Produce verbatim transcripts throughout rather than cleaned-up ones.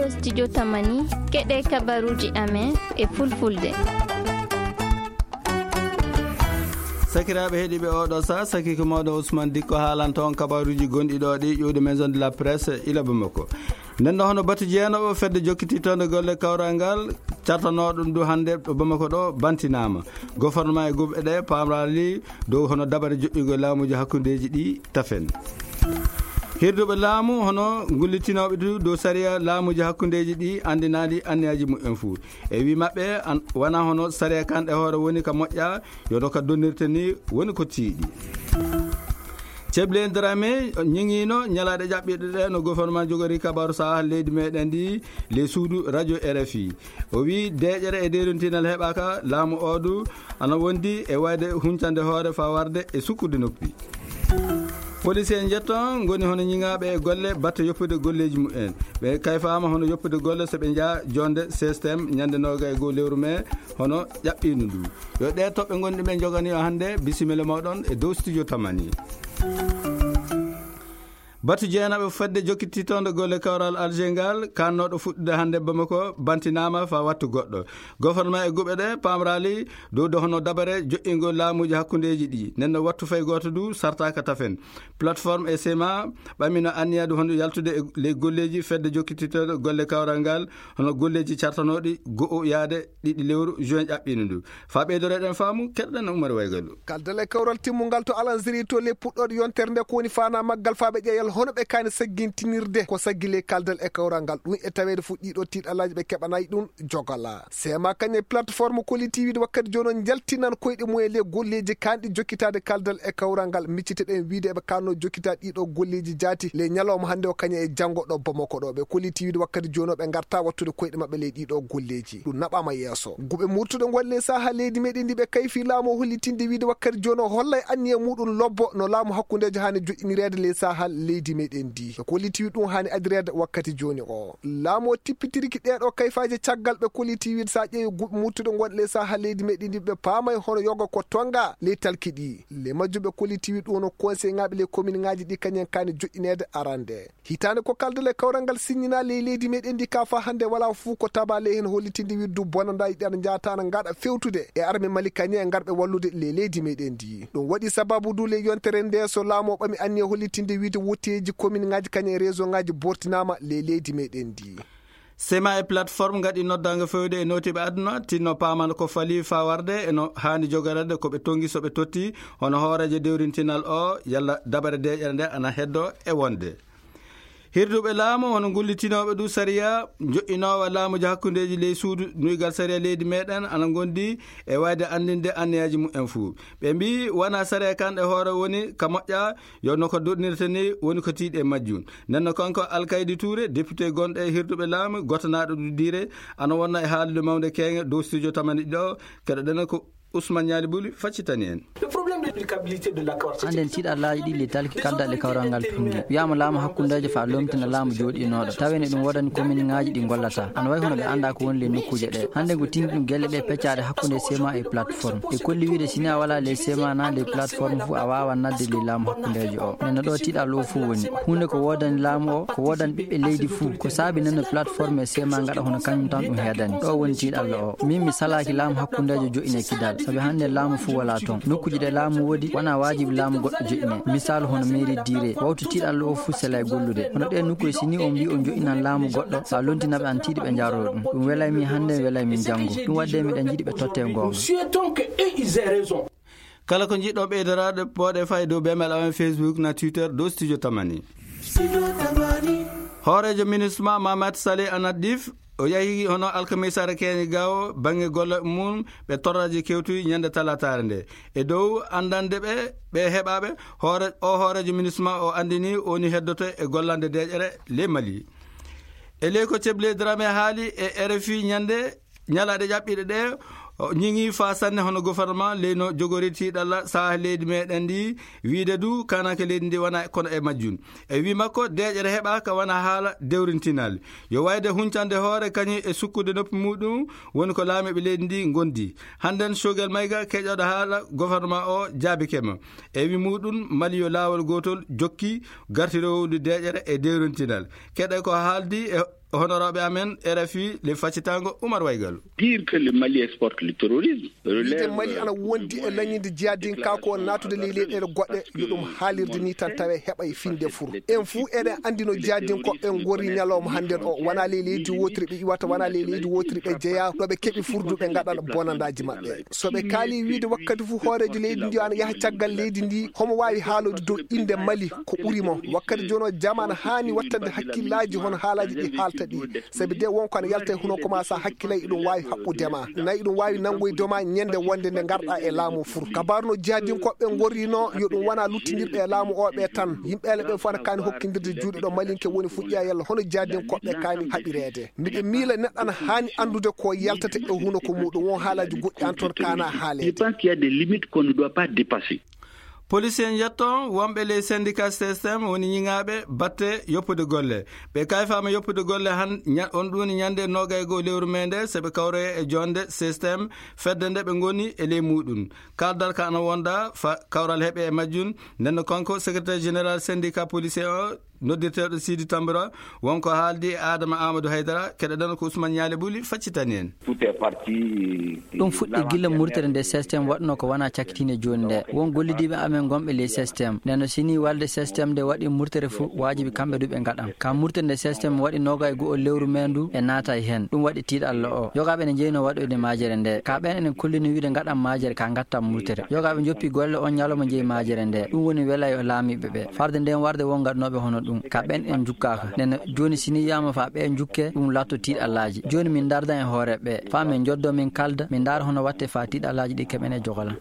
Studio Tamani, keɗe kabaruji amen e fulfulde. Sakiraaɓe heɗiiɓe, oɗo sa saki ko mawɗo Ousmane Dikko haalanta on kabaruji gonɗi ɗo ɗi ƴuwde Maison de la Presse ila Bamako. Nden ɗo hono batu jeenoɓo fedde jokkititonde golle kawral ngal, cartanooɗo ɗum du hannde ɗo Bamako ɗo, bantinaama. Gouvernement e guɓe ɗe pamrali dow hono dabare joƴƴugol laamuji hakkundeji ɗi tafen. Hirduɓe laamu hono gullitinooɓe du dow sariya laamuji hakkundeji ɗi anndinaali anniyaji mumen fuu. E wi maɓɓe, an-, wona hono sariya kan e hoore woni ka moƴƴa, yono ka donnirte ni woni ko tiiɗi. Ceble Dramé ñiŋiino ñalaaɗe ƴaɓɓiiɗe ɗe no gouvernement jogori kabaru saha leydi meɗen ndi, le suudu radio R F I. O wi deeƴere e deerontinal heɓaaka laamu o du ana wondi e wayde huncande hoore faa warde e sukkude noppi. Police en jetton ngoni hono ñiŋaaɓe e golle batte yoppude golleeji mumen. Ɓe kayfaama hono yoppude golle so ɓe njaa jonde système ñande noga e goo lewru me hono ƴaɓɓiino ndu. Yo ɗe toɓɓe ngonɗi ɓe jogani o hannde, bisimilla mawɗon e dow studio Tamani. Batu jeenaɓe fedde jokkititonde golle kawral Alger ngal, kannooɗo fuɗɗude hannde Bamako, bantinaama fa wattu goɗɗo. Gouvernement e guɓe ɗe pamrali dow do hono dabare joƴƴingol laamuji hakkundeji ɗi. Nden no wattu fay gooto du sartaaka tafen. Plateforme e sema ɓamino anniya du hono yaltude e ley golleji fedde jokkititonde golle kawral ngal, hono golleji cartanooɗi go'o yaade ɗiɗi lewru juin ƴaɓɓiino ndu. Fa ɓeydoreɗen faamu, keɗoɗen Umar Waygalu. Kaldal e kawral timmungal to Alanziri to le puɗɗoɗo yontere nde ko woni fana maggal fa ɓe ƴeyal hono ɓe kani saggintinirde ko saggi le kaldal e kawral ngal. Ɗum e taweede fu ɗiɗo tiiɗalaji ɓe keɓanayi ɗum jogala. Sema kañe plateforme Koli T V wakkati jono jaltinan koyɗe mum e le golleji kanɗi jokkitade kaldal e kawral ngal. Miccite ɗen wiide eɓe kanno jokkita ɗiɗo golleji jaati le ñalawma hannde o kañe e janngo ɗo Bamako ɗo. Ɓe Koli T V wakkati jono ɓe ngarta wattude koyɗe maɓɓe le ɗiɗo golleji. Ɗum naɓama yeeso. Guɓe murtuɗe ngol le saha leydi meɗen ndi ɓe kayfi laamu o hollitinde wiide wakkati jono hollay anniya muɗum lobbo no laamu hakkundejo hani joƴƴinireede le saha leydi meɗen ndi. Ɓe Koli T V ɗum hani adireede wakkati joni o. Laamu o tippitiriki ɗeɗo kayfaje caggal ɓe Koli T V sa ƴeewi guɓe murtuɗe ngol le saha leydi meɗen ndi ɓe paamay hono yoga ko tonga le talki ɗi. Le majjuɓe Koli T V ɗum no conseil ngaɓe le commune ngaji ɗi kañen kani joƴƴineede arande. Hitaande ko kaldal e kawral ngal signina ley leydi meɗen ndi ka fa hannde wala fuu ko taba ley heen hollitinde wirdu bonanda yiɗi ana njaata ana ngaɗa fewtude e arme Mali kañe e ngarɓe wallude ley leydi meɗen ndi. Ɗum waɗi sababu du ley yontere nde so laamu o ɓami anniya hollitinde wiide wotteeji commune ngaji kañe e région ngaji bortinaama ley leydi meɗen ndi. Sema e plateforme ngaɗi noddaango fewde e nootiiɓe aduna, tinno paaman ko fali fa warde e no haani jogoreede ko ɓe tongi so ɓe totti, hono hooreejo dewrintinal o, yalla dabare deeƴere nde ana heddo e wonde. Hirduɓe laamu, hono ngullitinooɓe du sariya, joƴƴinoowa laamuji hakkundeeji ley suudu nuygal sariya leydi meɗen, ana ngondi e wayde anndinde anniyaaji mumen fuu. Ɓe mbii, wona sariya kan e hoore woni ka moƴƴa, yo no ko doɗnirta ni woni ko tiiɗe majjum. Nden no kanko Alkaydi Touré, député gonɗo e hirduɓe laamu, gotanaaɗo du diire, ana wonna e haalude mawnde keeŋe dow studio Tamani ɗo, keɗoɗen ko Ousmane Ñaali Buli faccitani en. Le problème de l'applicabilité de l'accord. Hannden tiiɗallaaji ɗi le talki kaldal e kawral ngal tunngi. Wiyaama laamu hakkundeejo fa lomtina laamu jooɗiinooɗo. Tawi ne ɗum woodani commune ŋaaji ɗi ngollata. Ana wayi hono ɓe anndaa ko woni le nokkuuje ɗe. Hannden ko tinndi ɗum gelle ɗe peccaaɗe hakkunde sema e plateforme. E kolli wiide si ni a walaa le sema na le plateforme fu a waawaa nadde le laamu hakkundeejo o. Nden no ɗo tiiɗallo o fuu woni. Huunde ko woodani laamu o, ko woodani ɓiɓɓe leydi fuu. Ko saabi nden no plateforme e sema ngaɗa hono kañum tan ɗum heedani. Ɗo woni tiiɗallo o. Min mi salaaki laamu hakkundeejo joƴƴine kidal. Sabi hannde laamu fuu walaa toon. Nokkuuje ɗe laamu woodi, wonaa waajibi laamu goɗɗo joƴƴine. Misaalu hono mairie diire. Wawtu tiiɗallo o fuu sela e gollude. Hono ɗee nokkuuje si ni on mbii on joƴƴinan laamu goɗɗo, so a lontina ɓe an tiiɗi ɓe njaaroo ɗum. Ɗum welay min hannde, welay min janngo. Ɗum waɗde miɗen njiɗi ɓe totte goonga. Nous souhaitons que eux, ils aient raison. Kala ko njiɗɗon ɓeydoraade, pooɗe fay dow bemel amen Facebook na Twitter dow Studio Tamani. Hooreejo MINUSMA Mamat Saleh Anadif, o yahi hono alkamisaare keñe gawo baŋnge golle mum ɓe torraji kewtuyi ñande talataare nde. E dow anndande ɓe, ɓe heɓaaɓe, hoore, o hooreejo MINUSMA o anndini o woni heddoto e gollande deeƴere le Mali. E ley ko Ceble Dramé haali e R F I ñande ñalaaɗe ƴaɓɓiiɗe ɗe, o ñiŋi faa sanne hono gouvernement leyno jogori tiiɗalla saha leydi meɗen ndi, wiide du kananke leydi ndi wona kono e majjum. E wi makko, deeƴere heɓaaka wona haala dewrintinal. Yo wayde huncande hoore kañum e sukkude noppi muɗum woni ko laamiiɓe leydi ndi ngondi. Hannden Sogel Mayga keƴoɗo haala gouvernement o jaabike mo. E wi muɗum, Mali yo laawol gootol jokki gartirowdu deeƴere e dewrintinal. Keɗe ko haaldi e Honorooɓe amen R F I le faccitango Umar Waygalu. Dire que le Mali exporte le terrorisme. Wiide Mali ana wondi e lañinde jihadinka ko natude ley leyɗeele goɗɗe, yo ɗum haalirde ni tan tawe heɓa e finde fur. En fuu eɗen anndi no jihadinkoɓe ngorri ñalawma hannden o, wona ley leydi wotiri ɓe iwata, wona ley leydi wotiri ɓe jeya, ɗo ɓe keɓi furdu ɓe ngaɗana bonandaaji maɓɓe. So ɓe kaali wiide wakkati fuu hooreejo leydi ndi ana yaha caggal leydi ndi, homo waawi haalode dow innde Mali ko ɓuri mo. Wakkati jooni o jamaana haani wattande hakkillaaji hono haalaaji ɗi haalta ɗi. Sabi de wonko ana yalta e huno ko ma sa hakkilay iɗum waawi haɓɓude ma. Nayi iɗum waawi nanngoyde ma ñande wonde nde ngarɗa e laamu fur. Kabaru no jihadinkoɓe ngorrino yo ɗum wona luttindirɓe e laamu o ɓe tan. Yimɓe ele ɓe fof ana kaani hokkindirde juuɗe ɗo malinke woni fuɗɗiya yalla hono jihadinkoɓe kaani haɓireede. Miɗo miila neɗɗo ana haani anndude ko yaltata e huno ko muɗum won haalaaji goɗɗi an toon kaana haaleede. Je pense qu'il y a des limites qu'on ne doit pas dépasser. Police en yetto wonɓe ley syndicat système woni ñiŋaaɓe batte yoppude golle. Ɓe kayfaama yoppude golle han ña-, on ɗuni ñande noogay goo lewru mee nde, so ɓe kawroye e jonde système fedde nde ɓe ngoni e ley muɗum. Kaldal ka ana wonda fa kawral heɓe e majjum. Nenno kanko secrétaire général syndicat policier o, noddirteeɗo Sidi Tambura, wonko haaldi e Adama Amadou Haydara, keɗoɗen ko Ousmane Ñaali Ɓuli faccitani en. Tout est parti. Ɗum fuɗɗi gila murtere nde système waɗno ko wona cakkitiinde jooni nde. Won gollidiiɓe amen gonɓe ley système. Nden no sini walde système nde waɗi murtere fu, waajibi kamɓe du ɓe ngaɗan. Ka murtere nde système waɗi noogay go'o lewru mee ndu e naata e hen. Ɗum waɗi tiiɗalla o. Yogaaɓe ne jeyno waɗoyde maajere nde. Ka ɓen enen kollini wiide ngaɗan maajere ka ngattan murtere. Yogaaɓe joppi golle on ñalawma jeyi maajere nde. Ɗum woni welayo laamiiɓe ɓe. Farde nden warde won gaɗnooɓe hono ɗum. Ka ɓen en jukkaaka. Nden jooni sini wiyaama fa ɓe jukke ɗum laatto tiiɗallaaji. Jooni min ndardan e hoore ɓe. Fa min joddo min kalda, min ndaara hono watte fa tiiɗallaaji ɗi keɓen e jogolan.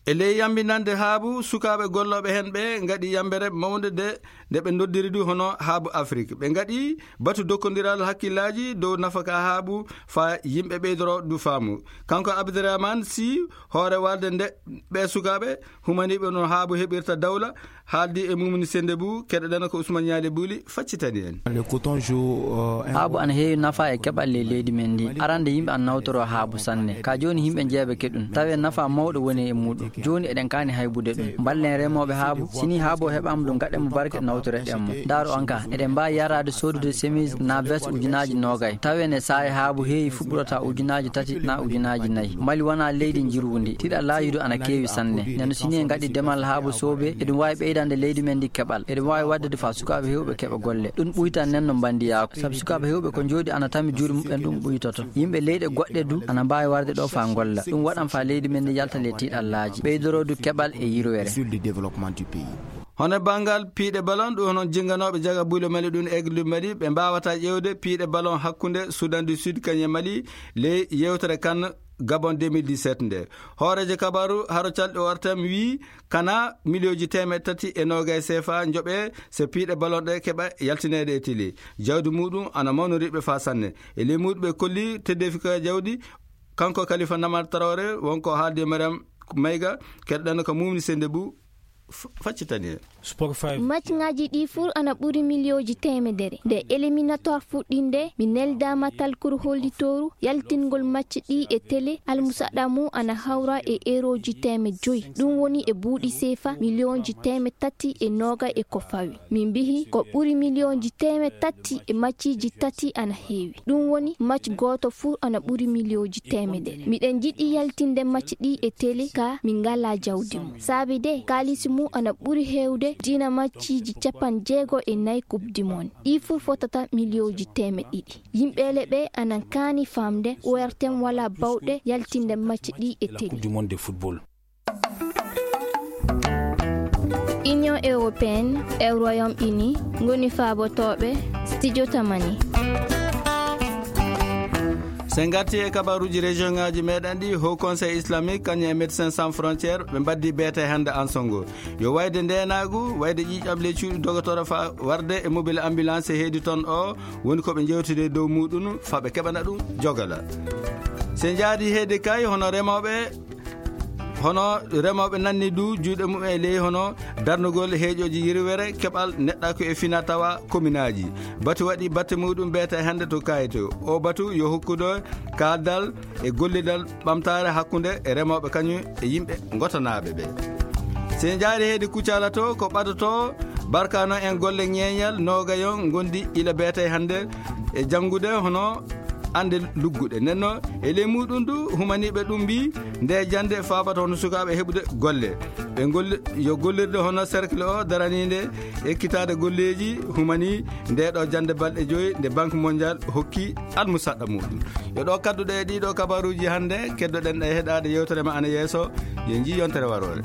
E ley yambinande haabu sukaaɓe gollooɓe heen ɓe ngaɗi yambere mawnde de, nde ɓe ndoddiri du hono haabu Afrik. Ɓe ngaɗi batu dokkondiral hakkillaaji dow nafaka haabu fa yimɓe ɓeydoro du faamu. Kanko Abdourahmane Sy, hoore walde nde ɓe sukaaɓe humaniiɓe no haabu heɓirta dawla, haaldi e mumni sende bu, keɗoɗen ko Ousmane Ñaali Ɓuli faccitani en. Le coton joue, euh, un Haabu ana heewi nafa e keɓal ley leydi men ndi. Arande yimɓe ana nawtoro haabu sanne. Ka jooni yimɓe jeeɓe keɗum. Tawe nafa mawɗo woni e muɗum. Jooni eɗen kaani haybude ɗum. Mballen remooɓe haabu. Sini haabu o heɓaama ɗum gaɗen mo barke nawtoreɗen mo. Ndaaru on ka. Eɗen mbaawi yaraade soodude chemise na veste ujunaaji noogay. Tawe ne saa'i haabu heewi fuɗɗorata ujunaaji tati na ujunaaji nayi. Mali wona leydi njirundi. Tiiɗallaaji du ana keewi sanne. Neno sini en ngaɗi demal haabu soobe. Eɗum waawi ɓeydande leydi men ndi keɓal. Eɗum waawi waɗde fa sukaaɓe heewɓe keɓa golle. Ɗum ɓuytan nen no mbandiyaaku. Sabu sukaaɓe heewɓe ko jooɗi ana tami juuɗe muɓɓen ɗum ɓuytoto. Yimɓe leyɗe goɗɗe du ana mbaawi warde ɗo fa ngolla. Ɗum waɗan fa leydi men ndi yalta le tiiɗallaaji. Ɓeydoro du keɓal e yirwere. Sur le développement du pays. Hono banngal piiɗe balon, ɗum hono jinganooɓe jaga buule Mali ɗum Aigle du Mali, ɓe mbaawata ƴeewde piiɗe balon hakkunde Soudan du Sud kañum e Mali ley yewtere kan Gabon deux mille dix-sept nde. Hooreejo kabaru haro calɗi O R T M wii kana miliyooji teemeɗɗe tati e noogay C F A njoɓe so piiɗe balon ɗe keɓa yaltineede e tili. Jawdi muɗum ana mawnoriɓe fa sanne. E ley muɗum ɓe kolli teddeefi ka jawdi, kanko Kalifa Namar Traoré, wonko haaldi e Mariam Mayga, keɗɗen ko mumni sende bu f-, faccitani en. Sport five. Matchŋaaji ɗi fur ana ɓuri miliyooji teemedere. Nde éliminatoire fuɗɗinde, mi neldaama talkuru hollitooru yaltingol match ɗi e télé, almusaɗa mum ana hawra e erooji teemeɗɗe joyi. Ɗum woni e buuɗi C F A miliyonji teemeɗɗe tati e nooga e ko fawi. Min mbihi ko ɓuri miliyonji teemeɗɗe tati e matchiji tati ana heewi. Ɗum woni match gooto fuu ana ɓuri miliyonji teemedere. Miɗen njiɗi yaltinde match ɗi e télé ka min ngalaa jawdi mum. Saabi de, kaalisi mum ana ɓuri heewde dina matchiji capanɗe jeego e nayi Coupe du Monde. Ɗi fuu fotata miliyonji teemeɗɗe ɗiɗi. Yimɓe ele ɓe ana kaani faamde O R T M walaa bawɗe yaltinde match ɗi e télé. Coupe du Monde de football. Union Européenne e Royaume Uni ngoni faabotooɓe Studio Tamani. So en ngarti e kabaruuji région ŋaaji meɗen ɗi, Haut Conseil Islamique kañum e Médecins Sans Frontières ɓe mbaddi beete hannde ansongo. Yo wayde ndeenaagu, wayde ƴiiƴam ley cuuɗi dogotoro fa warde e mobile ambulance e heedi toon o, woni ko ɓe njewtide dow muɗum fa ɓe keɓana ɗum jogala. So en njaadi heedi kay hono remooɓe Hono remooɓe nanni du juuɗe mum e ley hono darnugol heeƴooji yirwere keɓal neɗɗaaku e fina tawa kominaaji. Batu waɗi batte muɗum beete hannde to Kayto. O batu yo hokkudo kaaldal e gollidal ɓamtaare hakkunde e remooɓe kañum e yimɓe ngotanaaɓe ɓe. So en njaari heedi Kucala to ko ɓadoto Barkano en golle ñeeñal noogayon ngondi ila beetay hannde e janngude hono annde lugguɗe. Nden noon, e ley muɗum du, humaniiɓe ɗum mbii nde jannde faabata hono sukaaɓe heɓude golle. Ɓe golli-, yo gollirde hono cercle o daraniinde ekkitaade golleeji humanii nde ɗo jannde balɗe joyi nde Banque Mondiale hokki almusaɗɗa muɗum. Yo ɗo kadduɗe e ɗiɗo kabaruuji hannde, keddoɗen ɗe heɗaade yewtere ma ana yeeso. Yo njii yontere waroore.